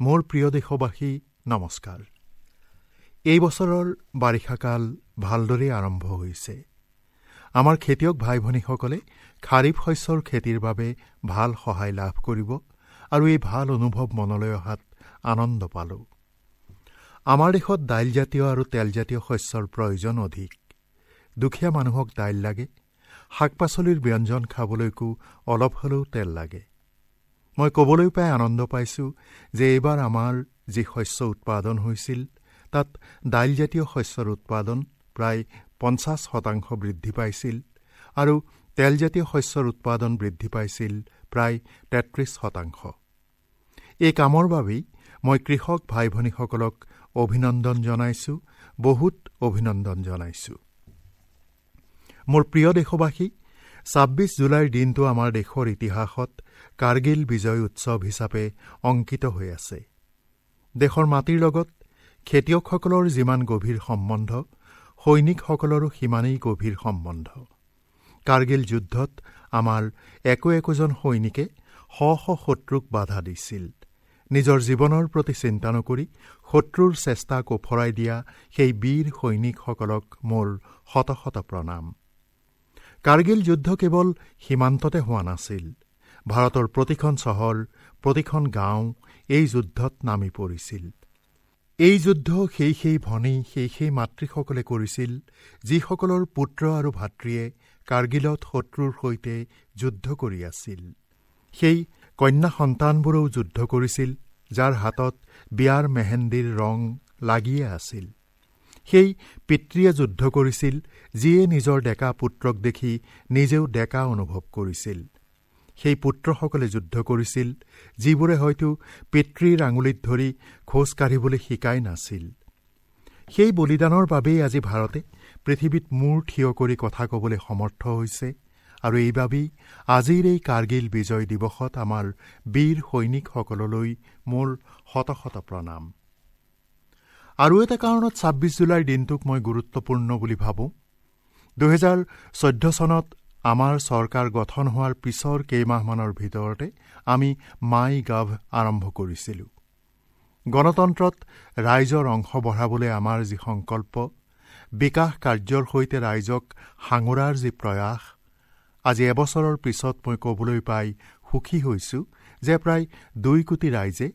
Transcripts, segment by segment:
মোৰ প্ৰিয় দেশবাসী, নমস্কাৰ। এই বছৰৰ বাৰিষাকাল ভালদৰেই আৰম্ভ হৈছে। আমাৰ খেতিয়ক ভাই ভনীসকলে খাৰিফ শস্যৰ খেতিৰ বাবে ভাল সহায় লাভ কৰিব আৰু এই ভাল অনুভৱ মনলৈ অহাত আনন্দ পালোঁ। আমাৰ দেশত দাইলজাতীয় আৰু তেলজাতীয় শস্যৰ প্ৰয়োজন অধিক। দুখীয়া মানুহক দাইল লাগে, শাক পাচলিৰ ব্যঞ্জন খাবলৈকো অলপ হ'লেও তেল লাগে। মই ক'বলৈ পাই আনন্দ পাইছোঁ যে এইবাৰ আমাৰ যি শস্য উৎপাদন হৈছিল তাত দাইলজাতীয় শস্যৰ উৎপাদন প্ৰায় 50% বৃদ্ধি পাইছিল আৰু তেলজাতীয় শস্যৰ উৎপাদন বৃদ্ধি পাইছিল প্ৰায় 33%। এই কামৰ বাবেই মই কৃষক ভাই ভনীসকলক অভিনন্দন জনাইছোঁ, বহুত অভিনন্দন জনাইছোঁ। মোৰ প্ৰিয় দেশবাসী, 26 জুলাইৰ দিনটো আমাৰ দেশৰ ইতিহাসত কাৰ্গিল বিজয় উৎসৱ হিচাপে অংকিত হৈ আছে। দেশৰ মাটিৰ লগত খেতিয়কসকলৰ যিমান গভীৰ সম্বন্ধ, সৈনিকসকলৰো সিমানেই গভীৰ সম্বন্ধ। কাৰ্গিল যুদ্ধত আমাৰ একো একোজন সৈনিকে শ শ শত্ৰুক বাধা দিছিল। নিজৰ জীৱনৰ প্ৰতি চিন্তা নকৰি শত্ৰুৰ চেষ্টাক ওফৰাই দিয়া সেই বীৰ সৈনিকসকলক মোৰ শত শত প্ৰণাম। কাৰ্গিল যুদ্ধ কেৱল সীমান্ততে হোৱা নাছিল, ভাৰতৰ প্ৰতিখন চহৰ, প্ৰতিখন গাঁও এই যুদ্ধত নামি পৰিছিল। এই যুদ্ধ সেই সেই ভনী, সেই সেই মাতৃসকলে কৰিছিল যিসকলৰ পুত্ৰ আৰু ভাতৃয়ে কাৰ্গিলত শত্ৰুৰ সৈতে যুদ্ধ কৰি আছিল। সেই কন্যা সন্তানবোৰেও যুদ্ধ কৰিছিল যাৰ হাতত বিয়াৰ মেহেন্দিৰ ৰং লাগিয়ে আছিল। সেই পিতৃয়ে যুদ্ধ কৰিছিল যিয়ে নিজৰ ডেকা পুত্ৰক দেখি নিজেও ডেকা অনুভৱ কৰিছিল। সেই পুত্ৰসকলে যুদ্ধ কৰিছিল যিবোৰে হয়তো পিতৃৰ আঙুলিত ধৰি খোজ কাঢ়িবলৈ শিকাই নাছিল। সেই বলিদানৰ বাবেই আজি ভাৰতে পৃথিৱীত মূৰ থিয় কৰি কথা ক'বলৈ সমৰ্থ হৈছে আৰু এইবাবেই আজিৰ এই কাৰ্গিল বিজয় দিৱসত আমাৰ বীৰ সৈনিকসকললৈ মোৰ শত শত প্ৰণাম। আৰু এটা কাৰণত 26 জুলাইৰ দিনটোক মই গুৰুত্বপূৰ্ণ বুলি ভাবোঁ। 2014 চনত আমাৰ চৰকাৰ গঠন হোৱাৰ পিছৰ কেইমাহমানৰ ভিতৰতে আমি মাই গাভ আৰম্ভ কৰিছিলোঁ। গণতন্ত্ৰত ৰাইজৰ অংশ বঢ়াবলৈ আমাৰ যি সংকল্প, বিকাশ কাৰ্যৰ সৈতে ৰাইজক সাঙুৰাৰ যি প্ৰয়াস, আজি এবছৰৰ পিছত মই ক'বলৈ পাই সুখী হৈছোঁ যে প্ৰায় 2 কোটি ৰাইজে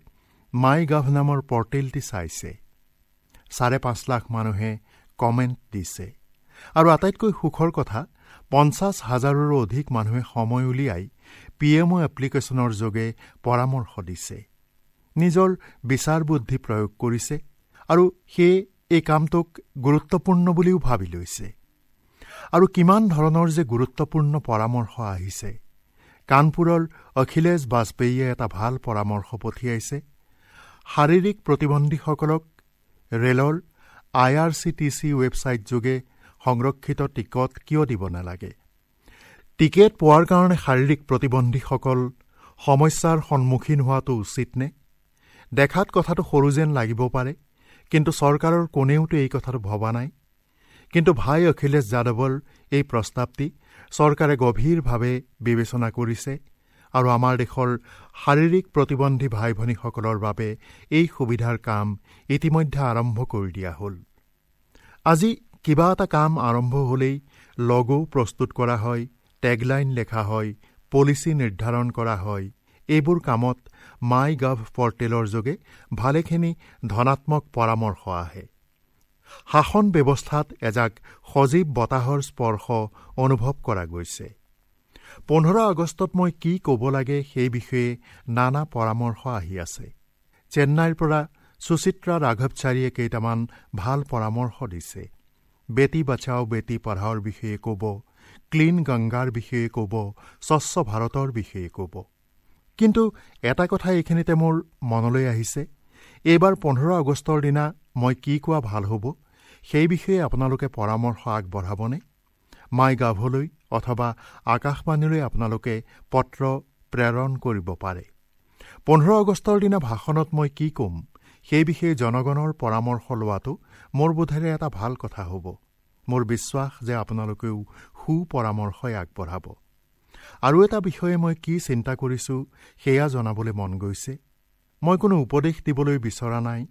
মাই গাভ নামৰ পৰ্টেলটি চাইছে। 5.5 লাখ মানুহে কমেণ্ট দিছে আৰু আটাইতকৈ সুখৰ কথা, 50,000ৰো অধিক মানুহে সময় উলিয়াই PMO এপ্লিকেশ্যনৰ যোগে পৰামৰ্শ দিছে, নিজৰ বিচাৰ বুদ্ধি প্ৰয়োগ কৰিছে আৰু সেয়ে এই কামটোক গুৰুত্বপূৰ্ণ বুলিও ভাবি লৈছে। আৰু কিমান ধৰণৰ যে গুৰুত্বপূৰ্ণ পৰামৰ্শ আহিছে। কানপুৰৰ অখিলেশ বাজপেয়ীয়ে এটা ভাল পৰামৰ্শ পঠিয়াইছে। শাৰীৰিক প্ৰতিবন্ধীসকলক ৰেলৰ IRCTC website যোগে সংৰক্ষিত টিকট কিয় দিব নালাগে? টিকেট পোৱাৰ কাৰণে শাৰীৰিক প্ৰতিবন্ধীসকল সমস্যাৰ সন্মুখীন হোৱাটো উচিত নে? দেখাত কথাটো সৰু যেন লাগিব পাৰে, কিন্তু চৰকাৰৰ কোনেওতো এই কথাটো ভবা নাই। কিন্তু ভাই অখিলেশ যাদৱৰ এই প্ৰস্তাৱটি চৰকাৰে গভীৰভাৱে বিবেচনা কৰিছে আৰু আমাৰ দেশৰ শাৰীৰিক প্ৰতিবন্ধী ভাই ভনীসকলৰ বাবে এই সুবিধাৰ কাম ইতিমধ্যে আৰম্ভ কৰি দিয়া হ'ল। আজি কিবা এটা কাম আৰম্ভ হ'লেই লগো প্ৰস্তুত কৰা হয়, টেগলাইন লেখা হয়, পলিচি নিৰ্ধাৰণ কৰা হয়। এইবোৰ কামত মাই গাভ পৰ্টেলৰ যোগে ভালেখিনি ধনাত্মক পৰামৰ্শ আহে। শাসন ব্যৱস্থাত এজাক সজীৱ বতাহৰ স্পৰ্শ অনুভৱ কৰা গৈছে। 15 আগষ্টত মই কি ক'ব লাগে সেই বিষয়ে নানা পৰামৰ্শ আহি আছে। চেন্নাইৰ পৰা সুচিত্ৰা ৰাঘৱচাৰীয়ে কেইটামান ভাল পৰামৰ্শ দিছে। বেটী বাচাও বেটী পঢ়াওৰ বিষয়ে ক'ব, ক্লীন গংগাৰ বিষয়ে ক'ব, স্বচ্ছ ভাৰতৰ বিষয়ে ক'ব। কিন্তু এটা কথা এইখিনিতে মোৰ মনলৈ আহিছে, এইবাৰ 15 আগষ্টৰ দিনা মই কি কোৱা ভাল হ'ব সেই বিষয়ে আপোনালোকে পৰামৰ্শ আগবঢ়াবনে? মাই গাভলৈ অথবা আকাশবাণীলৈ আপোনালোকে পত্ৰ প্ৰেৰণ কৰিব পাৰে। 15 আগষ্টৰ দিনা ভাষণত মই কি ক'ম সেই বিষয়ে জনগণৰ পৰামৰ্শ লোৱাটো মোৰ বোধেৰে এটা ভাল কথা হ'ব। মোৰ বিশ্বাস যে আপোনালোকেও সুপৰামৰ্শই আগবঢ়াব। আৰু এটা বিষয়ে মই কি চিন্তা কৰিছোঁ সেয়া জনাবলৈ মন গৈছে। মই কোনো উপদেশ দিবলৈ বিচৰা নাই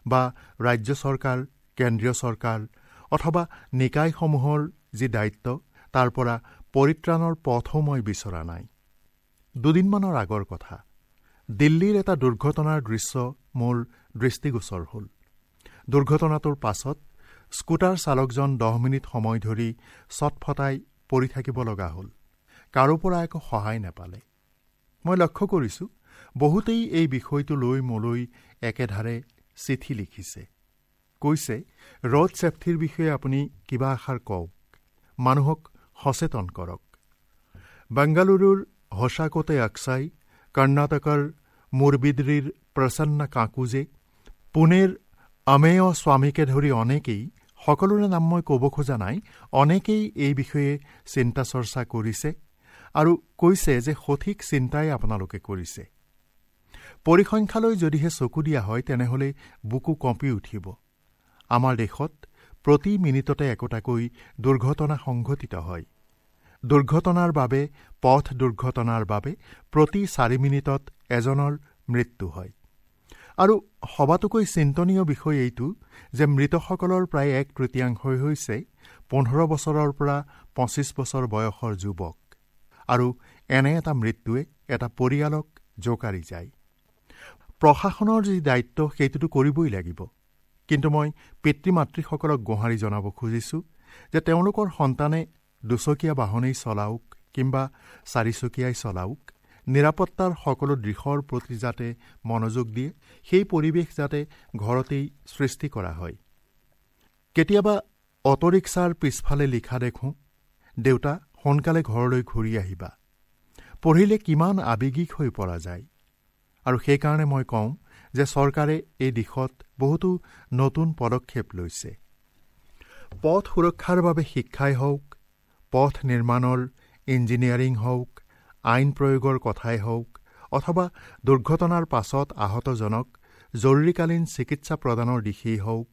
বা ৰাজ্য চৰকাৰ, কেন্দ্ৰীয় চৰকাৰ অথবা নিকায়সমূহৰ যি দায়িত্ব তাৰ পৰা পৰিত্ৰাণৰ পথো মই বিচৰা নাই। দুদিনমানৰ আগৰ কথা, দিল্লীৰ এটা দুৰ্ঘটনাৰ দৃশ্য মোৰ দৃষ্টিগোচৰ হ'ল। দুৰ্ঘটনাটোৰ পাছত স্কুটাৰ চালকজন 10 মিনিট সময় ধৰি ছটফটাই পৰি থাকিব লগা হ'ল। কাৰো পৰা একো সহায় নাপালে। মই লক্ষ্য কৰিছোঁ বহুতেই এই বিষয়টো লৈ মোলৈ একেধাৰে চিঠি লিখিছে, কৈছে ৰোড ছেফটিৰ বিষয়ে আপুনি কিবা এষাৰ কওক, মানুহক সচেতন কৰক। বেংগালুৰুৰ হোসাকোটে আকছাই, কৰ্ণাটকৰ মুৰবিদ্ৰীৰ প্ৰসন্ন কাকুজে, পুনেৰ আমেয় স্বামীকে ধৰি অনেকেই, সকলোৰে নাম মই ক'ব খোজা নাই, অনেকেই এই বিষয়ে চিন্তা চৰ্চা কৰিছে আৰু কৈছে যে সঠিক চিন্তাই আপোনালোকে কৰিছে। পৰিসংখ্যালৈ যদিহে চকু দিয়া হয় তেনেহ'লে বুকু কঁপি উঠিব। আমাৰ দেশত প্ৰতি মিনিটতে একোটাকৈ দুৰ্ঘটনা সংঘটিত হয়। দুৰ্ঘটনাৰ বাবে, পথ দুৰ্ঘটনাৰ বাবে প্ৰতি 4 মিনিটত এজনৰ মৃত্যু হয়। আৰু সবাতোকৈ চিন্তনীয় বিষয় এইটো যে মৃতসকলৰ প্ৰায় 1/3 হৈছে 15 বছৰৰ পৰা 25 বছৰ বয়সৰ যুৱক। আৰু এনে এটা মৃত্যুৱে এটা পৰিয়ালক জোকাৰি যায়। প্ৰশাসনৰ যি দায়িত্ব সেইটোতো কৰিবই লাগিব, কিন্তু মই পিতৃ মাতৃসকলক গোহাৰি জনাব খুজিছোঁ যে তেওঁলোকৰ সন্তানে দুচকীয়া বাহনেই চলাওক কিম্বা চাৰিচকীয়াই চলাওক, নিৰাপত্তাৰ সকলো দিশৰ প্ৰতি যাতে মনোযোগ দিয়ে, সেই পৰিৱেশ যাতে ঘৰতেই সৃষ্টি কৰা হয়। কেতিয়াবা অট'ৰিক্সাৰ পিছফালে লিখা দেখোঁ, দেউতা সোনকালে ঘৰলৈ ঘূৰি আহিবা। পঢ়িলে কিমান আৱেগিক হৈ পৰা যায়। আৰু সেইকাৰণে মই কওঁ যে চৰকাৰে এই দিশত বহুতো নতুন পদক্ষেপ লৈছে। পথ সুৰক্ষাৰ বাবে শিক্ষাই হওক, পথ নিৰ্মাণৰ ইঞ্জিনিয়াৰিং হওক, আইন প্ৰয়োগৰ কথাই হওক, অথবা দুৰ্ঘটনাৰ পাছত আহতজনক জৰুৰীকালীন চিকিৎসা প্ৰদানৰ দিশেই হওক,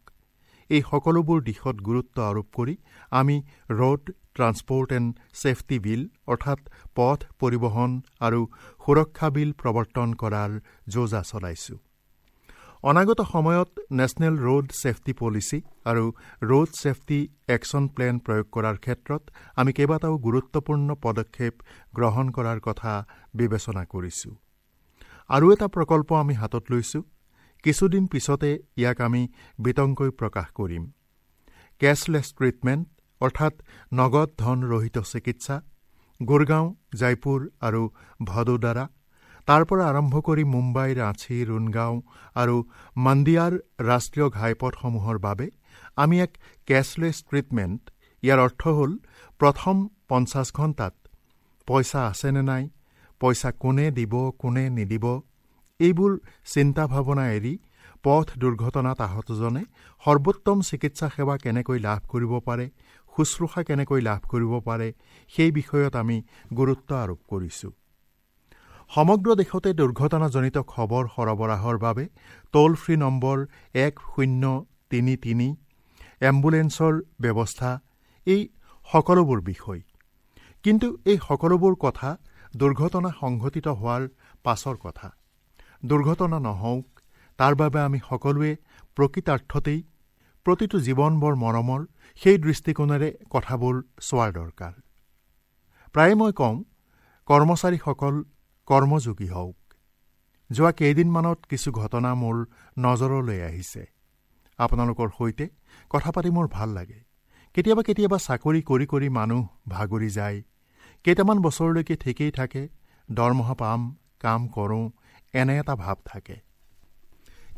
এই সকলোবোৰ দিশত গুৰুত্ব আৰোপ কৰি আমি road transport and safety bill অৰ্থাৎ পথ পৰিবহণ আৰু সুৰক্ষা বিল প্ৰৱৰ্তন কৰাৰ যোজা চলাইছোঁ। অনাগত সময়ত নেশ্যনেল ৰোড ছেফটি পলিচি আৰু ৰোড ছেফটি একশ্যন প্লেন প্ৰয়োগ কৰাৰ ক্ষেত্ৰত আমি কেইবাটাও গুৰুত্বপূৰ্ণ পদক্ষেপ গ্ৰহণ কৰাৰ কথা বিবেচনা কৰিছোঁ। আৰু এটা প্ৰকল্প আমি হাতত লৈছোঁ, কিছুদিন পিছতে ইয়াক আমি বিতংকৈ প্ৰকাশ কৰিম। কেছলেছ ট্ৰিটমেণ্ট অৰ্থাৎ নগদ ধন ৰহিত চিকিৎসা, গুৰগাঁও, জয়পুৰ আৰু ভদোদৰা, তাৰ পৰা আৰম্ভ কৰি মুম্বাই, ৰাঁচী, ৰুণগাঁও আৰু মাণ্ডিয়াৰ ৰাষ্ট্ৰীয় ঘাইপথসমূহৰ বাবে আমি এক কেছলেছ ট্ৰিটমেণ্ট, ইয়াৰ অৰ্থ হ'ল প্ৰথম 50 ঘণ্টাত পইচা আছেনে নাই, পইচা কোনে দিব কোনে নিদিব, এইবোৰ চিন্তা ভাৱনা এৰি পথ দুৰ্ঘটনাত আহতজনে সৰ্বোত্তম চিকিৎসা সেৱা কেনেকৈ লাভ কৰিব পাৰে, শুশ্ৰূষা কেনেকৈ লাভ কৰিব পাৰে, সেই বিষয়ত আমি গুৰুত্ব আৰোপ কৰিছোঁ। সমগ্ৰ দেশতে দুৰ্ঘটনাজনিত খবৰ সৰবৰাহৰ বাবে টোল ফ্ৰী নম্বৰ 1033, এম্বুলেন্সৰ ব্যৱস্থা, এই সকলোবোৰ বিষয়। কিন্তু এই সকলোবোৰ কথা দুৰ্ঘটনা সংঘটিত হোৱাৰ পাছৰ কথা। দুৰ্ঘটনা নহওক তাৰ বাবে আমি সকলোৱে প্ৰকৃতাৰ্থতেই প্ৰতিটো জীৱন বৰ মৰমৰ, সেই দৃষ্টিকোণেৰে কথাবোৰ চোৱাৰ দৰকাৰ। প্ৰায়ে মই কওঁ, কৰ্মচাৰীসকল কৰ্মযোগী হওক। যোৱা কেইদিনমানত কিছু ঘটনা মোৰ নজৰলৈ আহিছে। আপোনালোকৰ সৈতে কথা পাতি মোৰ ভাল লাগে। কেতিয়াবা কেতিয়াবা চাকৰি কৰি কৰি মানুহ ভাগৰি যায়, কেইটামান বছৰলৈকে ঠিকেই থাকে, দৰমহা পাম, কাম কৰোঁ, এনে এটা ভাৱ থাকে।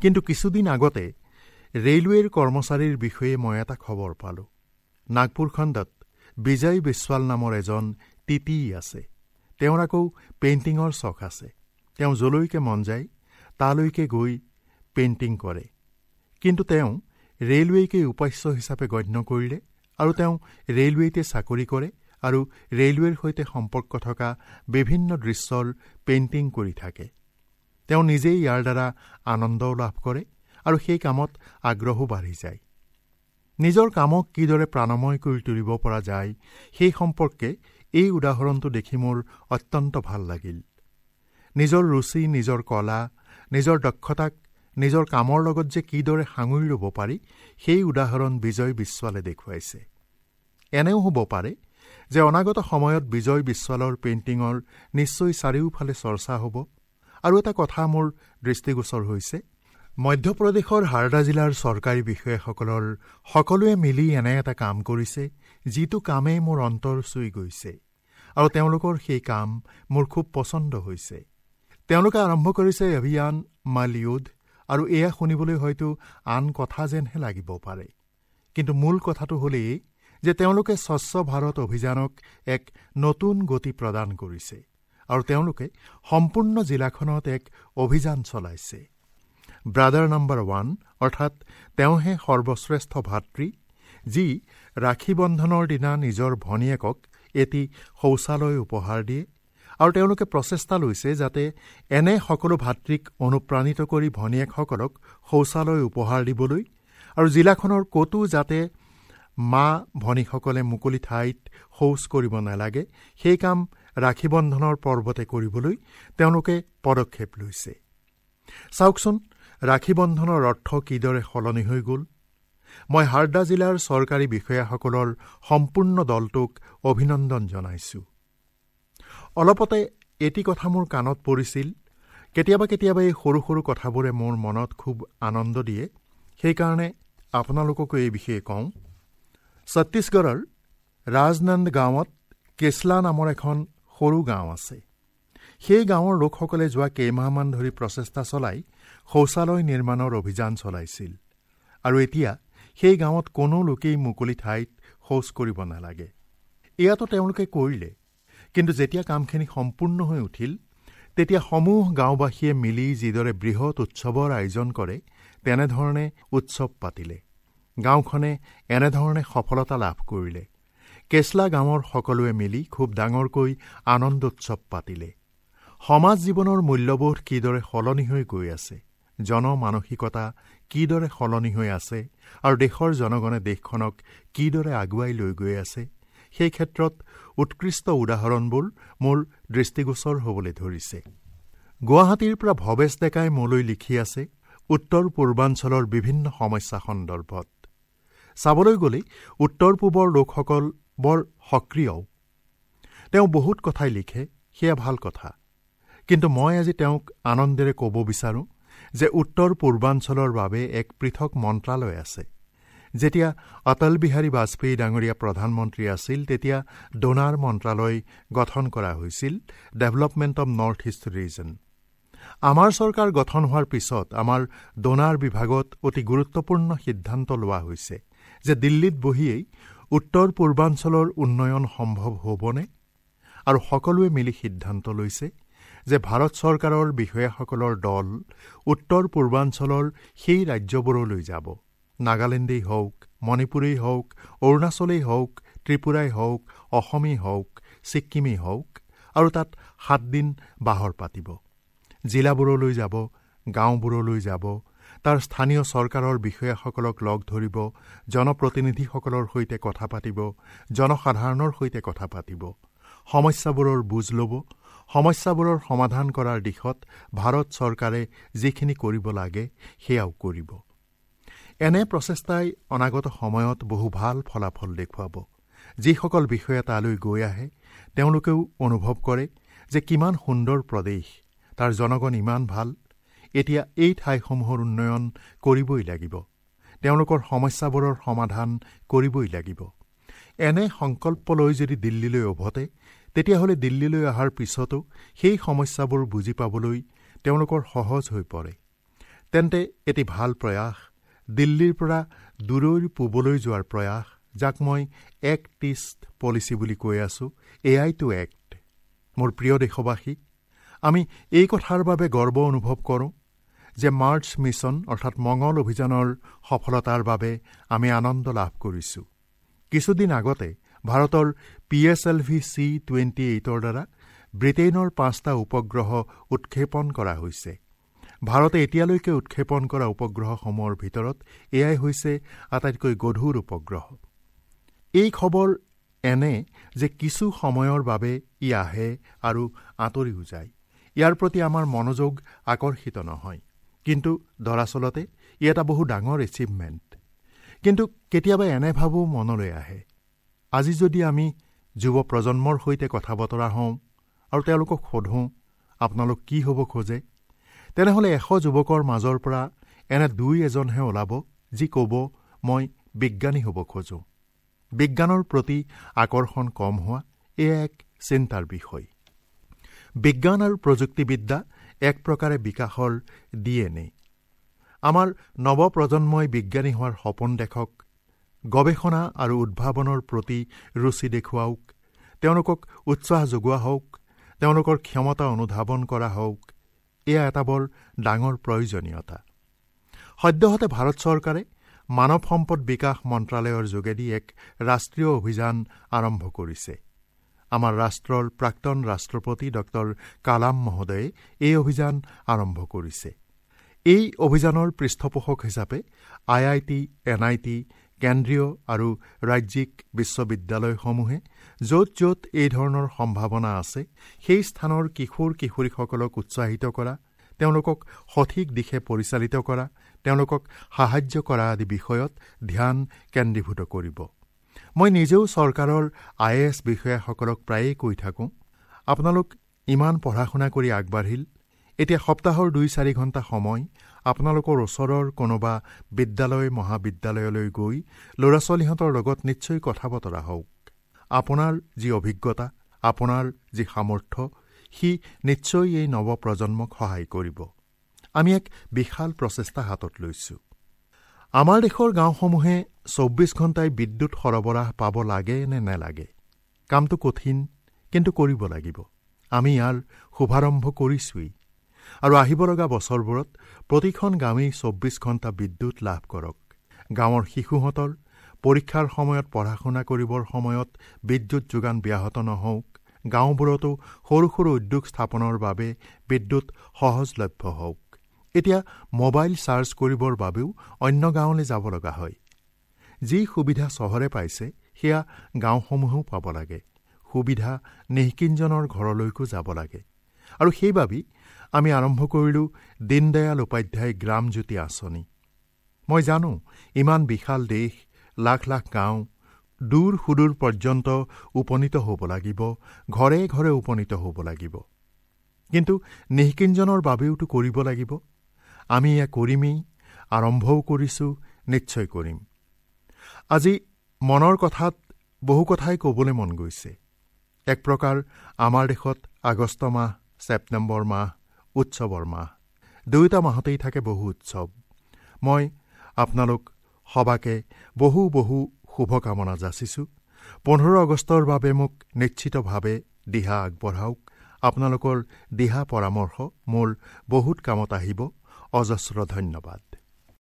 কিন্তু কিছুদিন আগতে ৰেলৱেৰ কৰ্মচাৰীৰ বিষয়ে মই এটা খবৰ পালোঁ। নাগপুৰ খণ্ডত বিজয় বিশ্বাল নামৰ এজন টিটি আছে। তেওঁৰ আকৌ পেইণ্টিঙৰ চখ আছে। তেওঁ যলৈকে মন যায় তালৈকে গৈ পেইণ্টিং কৰে। কিন্তু তেওঁ ৰেলৱেকে উপাস্য হিচাপে গণ্য কৰিলে আৰু তেওঁ ৰেলৱেতে চাকৰি কৰে আৰু ৰেলৱেৰ সৈতে সম্পৰ্ক থকা বিভিন্ন দৃশ্যৰ পেইণ্টিং কৰি থাকে। তেওঁ নিজেই ইয়াৰ দ্বাৰা আনন্দও লাভ কৰে আৰু সেই কামত আগ্ৰহো বাঢ়ি যায়। নিজৰ কামক কিদৰে প্ৰাণময় কৰি তুলিব পৰা যায় সেই সম্পৰ্কে এই উদাহৰণটো দেখি মোৰ অত্যন্ত ভাল লাগিল। নিজৰ ৰুচি, নিজৰ কলা, নিজৰ দক্ষতাক নিজৰ কামৰ লগত যে কিদৰে সাঙুৰি ল'ব পাৰি সেই উদাহৰণ বিজয় বিশ্বালে দেখুৱাইছে। এনেও হ'ব পাৰে যে অনাগত সময়ত বিজয় বিশ্বালৰ পেইণ্টিঙৰ নিশ্চয় চাৰিওফালে চৰ্চা হ'ব। আৰু এটা কথা মোৰ দৃষ্টিগোচৰ হৈছে, মধ্যপ্ৰদেশৰ হাৰদা জিলাৰ চৰকাৰী বিষয়াসকলৰ সকলোৱে মিলি এনে এটা কাম কৰিছে যিটো কামেই মোৰ অন্তৰ চুই গৈছে আৰু তেওঁলোকৰ সেই কাম মোৰ খুব পচন্দ হৈছে। তেওঁলোকে আৰম্ভ কৰিছে অভিযান মালিউদ, আৰু এয়া শুনিবলৈ হয়তো আন কথা যেনহে লাগিব পাৰে, কিন্তু মূল কথাটো হ'লেই যে তেওঁলোকে স্বচ্ছ ভাৰত অভিযানক এক নতুন গতি প্ৰদান কৰিছে আৰু তেওঁলোকে সম্পূৰ্ণ জিলাখনত এক অভিযান চলাইছে। ব্ৰাদাৰ নম্বৰ 1, অৰ্থাৎ তেওঁহে সৰ্বশ্ৰেষ্ঠ ভাতৃ যি ৰাখী বন্ধনৰ দিনা নিজৰ ভনীয়েকক এটি শৌচালয় উপহাৰ দিয়ে, আৰু তেওঁলোকে প্ৰচেষ্টা লৈছে যাতে এনে সকলো ভাতৃক অনুপ্ৰাণিত কৰি ভনীয়েকসকলক শৌচালয় উপহাৰ দিবলৈ আৰু জিলাখনৰ ক'তো যাতে মা ভনীসকলে মুকলি ঠাইত শৌচ কৰিব নালাগে সেই কাম ৰাখী বন্ধনৰ পৰ্বতে কৰিবলৈ তেওঁলোকে পদক্ষেপ লৈছে। চাওকচোন, ৰাখী বন্ধনৰ অৰ্থ কিদৰে সলনি হৈ গ'ল। মই হাৰদা জিলাৰ চৰকাৰী বিষয়াসকলৰ সম্পূৰ্ণ দলটোক অভিনন্দন জনাইছোঁ। অলপতে এটি কথা মোৰ কাণত পৰিছিল। কেতিয়াবা কেতিয়াবা এই সৰু সৰু কথাবোৰে মোৰ মনত খুব আনন্দ দিয়ে, সেইকাৰণে আপোনালোককো এই বিষয়ে কওঁ। ছত্তীশগড়ৰ ৰাজনন্দ গাঁৱত কেছলা নামৰ এখন সৰু গাঁও আছে। সেই গাঁৱৰ লোকসকলে যোৱা কেইমাহমান ধৰি প্ৰচেষ্টা চলাই শৌচালয় নিৰ্মাণৰ অভিযান চলাইছিল আৰু এতিয়া সেই গাঁৱত কোনো লোকেই মুকলি ঠাইত শৌচ কৰিব নালাগে। এয়াতো তেওঁলোকে কৰিলে, কিন্তু যেতিয়া কামখিনি সম্পূৰ্ণ হৈ উঠিল তেতিয়া সমূহ গাঁওবাসীয়ে মিলি যিদৰে বৃহৎ উৎসৱৰ আয়োজন কৰে তেনেধৰণে উৎসৱ পাতিলে। গাঁওখনে এনেধৰণে সফলতা লাভ কৰিলে। কেছলা গাঁৱৰ সকলোৱে মিলি খুব ডাঙৰকৈ আনন্দোৎসৱ পাতিলে। সমাজ জীৱনৰ মূল্যবোধ কিদৰে সলনি হৈ গৈ আছে, জনমানসিকতা কিদৰে সলনি হৈ আছে আৰু দেশৰ জনগণে দেশখনক কিদৰে আগুৱাই লৈ গৈ আছে, সেই ক্ষেত্ৰত উৎকৃষ্ট উদাহৰণবোৰ মোৰ দৃষ্টিগোচৰ হ'বলৈ ধৰিছে। গুৱাহাটীৰ পৰা ভৱেশ ডেকাই মোলৈ লিখি আছে উত্তৰ পূৰ্বাঞ্চলৰ বিভিন্ন সমস্যা সন্দৰ্ভত। চাবলৈ গ'লে উত্তৰ পূবৰ লোকসকল বৰ সক্ৰিয়ও। তেওঁ বহুত কথাই লিখে, সেয়া ভাল কথা, কিন্তু মই আজি তেওঁক আনন্দেৰে ক'ব বিচাৰোঁ যে উত্তৰ পূৰ্বাঞ্চলৰ বাবে এক পৃথক মন্ত্ৰালয় আছে। যেতিয়া অটল বিহাৰী বাজপেয়ী ডাঙৰীয়া প্ৰধানমন্ত্ৰী আছিল তেতিয়া ডোনাৰ মন্ত্ৰালয় গঠন কৰা হৈছিল, development of north east region. আমাৰ চৰকাৰ গঠন হোৱাৰ পিছত আমাৰ ডোনাৰ বিভাগত অতি গুৰুত্বপূৰ্ণ সিদ্ধান্ত লোৱা হৈছে যে দিল্লীত বহিয়েই উত্তৰ পূৰ্বাঞ্চলৰ উন্নয়ন সম্ভৱ হ'বনে, আৰু সকলোৱে মিলি সিদ্ধান্ত লৈছে যে ভাৰত চৰকাৰৰ বিষয়াসকলৰ দল উত্তৰ পূৰ্বাঞ্চলৰ সেই ৰাজ্যবোৰলৈ যাব। নাগালেণ্ডেই হওক, মণিপুৰেই হওক, অৰুণাচলেই হওক, ত্ৰিপুৰাই হওক, অসমেই হওক, ছিক্কিমেই হওক, আৰু তাত 7 দিন বাহৰ পাতিব। জিলাবোৰলৈ যাব, গাঁওবোৰলৈ যাব, তাৰ স্থানীয় চৰকাৰৰ বিষয়াসকলক লগ ধৰিব, জনপ্ৰতিনিধিসকলৰ সৈতে কথা পাতিব, জনসাধাৰণৰ সৈতে কথা পাতিব, সমস্যাবোৰৰ বুজ ল'ব, সমস্যাবোৰৰ সমাধান কৰাৰ দিশত ভাৰত চৰকাৰে যিখিনি কৰিব লাগে সেয়াও কৰিব। এনে প্ৰচেষ্টাই অনাগত সময়ত বহু ভাল ফলাফল দেখুৱাব। যিসকল বিষয়া তালৈ গৈ আহে তেওঁলোকেও অনুভৱ কৰে যে কিমান সুন্দৰ প্ৰদেশ, তাৰ জনগণ ইমান ভাল, এতিয়া এই ঠাইসমূহৰ উন্নয়ন কৰিবই লাগিব, তেওঁলোকৰ সমস্যাবোৰৰ সমাধান কৰিবই লাগিব। এনে সংকল্প লৈ যদি দিল্লীলৈ উভতে তেতিয়াহ'লে দিল্লীলৈ অহাৰ পিছতো সেই সমস্যাবোৰ বুজি পাবলৈ তেওঁলোকৰ সহজ হৈ পৰে। তেন্তে এটি ভাল প্ৰয়াস, দিল্লীৰ পৰা দূৰৈৰ পূবলৈ যোৱাৰ প্ৰয়াস, যাক মই এক্ট ইষ্ট পলিচি বুলি কৈ আছোঁ, এয়াইটো এক্ট। মোৰ প্ৰিয় দেশবাসী, আমি এই কথাৰ বাবে গৰ্ব অনুভৱ কৰোঁ যে মাৰ্চ মিছন অৰ্থাৎ মঙল অভিযানৰ সফলতাৰ বাবে আমি আনন্দ লাভ কৰিছোঁ। কিছুদিন আগতে ভাৰতৰ PSLV C-28ৰ দ্বাৰা ব্ৰিটেইনৰ 5টা উপগ্ৰহ উৎক্ষেপণ কৰা হৈছে। ভাৰতে এতিয়ালৈকে উৎক্ষেপণ কৰা উপগ্ৰহসমূহৰ ভিতৰত এয়াই হৈছে আটাইতকৈ গধুৰ উপগ্ৰহ। এই খবৰ এনে যে কিছু সময়ৰ বাবে ই আহে আৰু আঁতৰিও যায়। ইয়াৰ প্ৰতি আমাৰ মনোযোগ আকৰ্ষিত নহয়, কিন্তু দৰাচলতে ই এটা বহু ডাঙৰ এচিভমেণ্ট। কিন্তু কেতিয়াবা এনে ভাবো মনলৈ আহে, আজি যদি আমি যুৱ প্ৰজন্মৰ সৈতে কথা বতৰা হওঁ আৰু তেওঁলোকক সোধোঁ আপোনালোক কি হ'ব খোজে, তেনেহ'লে 100 যুৱকৰ মাজৰ পৰা এনে 2-1জনহে ওলাব যি ক'ব মই বিজ্ঞানী হ'ব খোজোঁ। বিজ্ঞানৰ প্ৰতি আকৰ্ষণ কম হোৱা এয়া এক চিন্তাৰ বিষয়। বিজ্ঞান আৰু প্ৰযুক্তিবিদ্যা এক প্ৰকাৰে বিকাশৰ DNA। আমাৰ নৱপ্ৰজন্মই বিজ্ঞানী হোৱাৰ সপোন দেখক, গৱেষণা আৰু উদ্ভাৱনৰ প্ৰতি ৰুচি দেখুৱাওক, তেওঁলোকক উৎসাহ যোগোৱা হওক, তেওঁলোকৰ ক্ষমতা অনুধাৱন কৰা হওক, এয়া এটা বৰ ডাঙৰ প্ৰয়োজনীয়তা। সদ্যহতে ভাৰত চৰকাৰে মানৱ সম্পদ বিকাশ মন্ত্ৰালয়ৰ যোগেদি এক ৰাষ্ট্ৰীয় অভিযান আৰম্ভ কৰিছে। আমাৰ ৰাষ্ট্ৰৰ প্ৰাক্তন ৰাষ্ট্ৰপতি ডক্টৰ কালাম মহোদয়ে এই অভিযান আৰম্ভ কৰিছে। এই অভিযানৰ পৃষ্ঠপোষক হিচাপে IIT, NIT, কেন্দ্ৰীয় আৰু ৰাজ্যিক বিশ্ববিদ্যালয়সমূহে য'ত য'ত এই ধৰণৰ সম্ভাৱনা আছে সেই স্থানৰ কিশোৰ কিশোৰীসকলক উৎসাহিত কৰা, তেওঁলোকক সঠিক দিশে পৰিচালিত কৰা, তেওঁলোকক সাহায্য কৰা আদি বিষয়ত ধ্যান কেন্দ্ৰীভূত কৰিব। মই নিজেও চৰকাৰৰ IAS বিষয়াসকলক প্ৰায়েই কৈ থাকোঁ, আপোনালোক ইমান পঢ়া শুনা কৰি আগবাঢ়িল, এতিয়া সপ্তাহৰ 2-4 ঘণ্টা সময় আপোনালোকৰ ওচৰৰ কোনোবা বিদ্যালয় মহাবিদ্যালয়লৈ গৈ ল'ৰা ছোৱালীহঁতৰ লগত নিশ্চয় কথা বতৰা হওক। আপোনাৰ যি অভিজ্ঞতা, আপোনাৰ যি সামৰ্থ্য, সি নিশ্চয় এই নৱপ্ৰজন্মক সহায় কৰিব। আমি এক বিশাল প্ৰচেষ্টা হাতত লৈছোঁ। আমাৰ দেশৰ গাঁওসমূহে 24 ঘণ্টাই বিদ্যুৎ সৰবৰাহ পাব লাগে নে নেলাগে? কামটো কঠিন, কিন্তু কৰিব লাগিব। আমি ইয়াৰ শুভাৰম্ভ কৰিছোঁৱেই আৰু আহিব লগা বছৰবোৰত প্ৰতিখন গাঁৱেই 24 ঘণ্টা বিদ্যুৎ লাভ কৰক। গাঁৱৰ শিশুহঁতৰ পৰীক্ষাৰ সময়ত, পঢ়া শুনা কৰিবৰ সময়ত বিদ্যুৎ যোগান ব্যাহত নহওক। গাঁওবোৰতো সৰু সৰু উদ্যোগ স্থাপনৰ বাবে বিদ্যুৎ সহজলভ্য হওক। এতিয়া মোবাইল চাৰ্জ কৰিবৰ বাবেও অন্য গাঁৱলৈ যাব লগা হয়। যি সুবিধা চহৰে পাইছে সেয়া গাঁওসমূহেও পাব লাগে। সুবিধা নিঃকিনজনৰ ঘৰলৈকো যাব লাগে। আৰু সেইবাবেই আমি আৰম্ভ কৰিলোঁ দীনদয়াল উপাধ্যায় গ্ৰামজ্যোতি আঁচনি। মই জানো ইমান বিশাল দেশ, লাখ লাখ গাঁও, দূৰ সুদূৰ পৰ্যন্ত উপনীত হ'ব লাগিব, ঘৰে ঘৰে উপনীত হ'ব লাগিব। কিন্তু নিঃকিনজনৰ বাবেওতো কৰিব লাগিব। আমি এয়া কৰিমেই, আৰম্ভও কৰিছোঁ, নিশ্চয় কৰিম। আজি মনৰ কথাত বহু কথাই ক'বলৈ মন গৈছে। এক প্ৰকাৰ আমাৰ দেশত আগষ্ট মাহ, ছেপ্টেম্বৰ মাহ উৎসৱৰ মাহ। দুয়োটা মাহতেই থাকে বহু উৎসৱ। মই আপোনালোক সবাকে বহু বহু শুভকামনা যাচিছোঁ। 15 আগষ্টৰ বাবে মোক নিশ্চিতভাৱে দিহা আগবঢ়াওক। আপোনালোকৰ দিহা পৰামৰ্শ মোৰ বহুত কামত আহিব। অজস্ৰ ধন্যবাদ।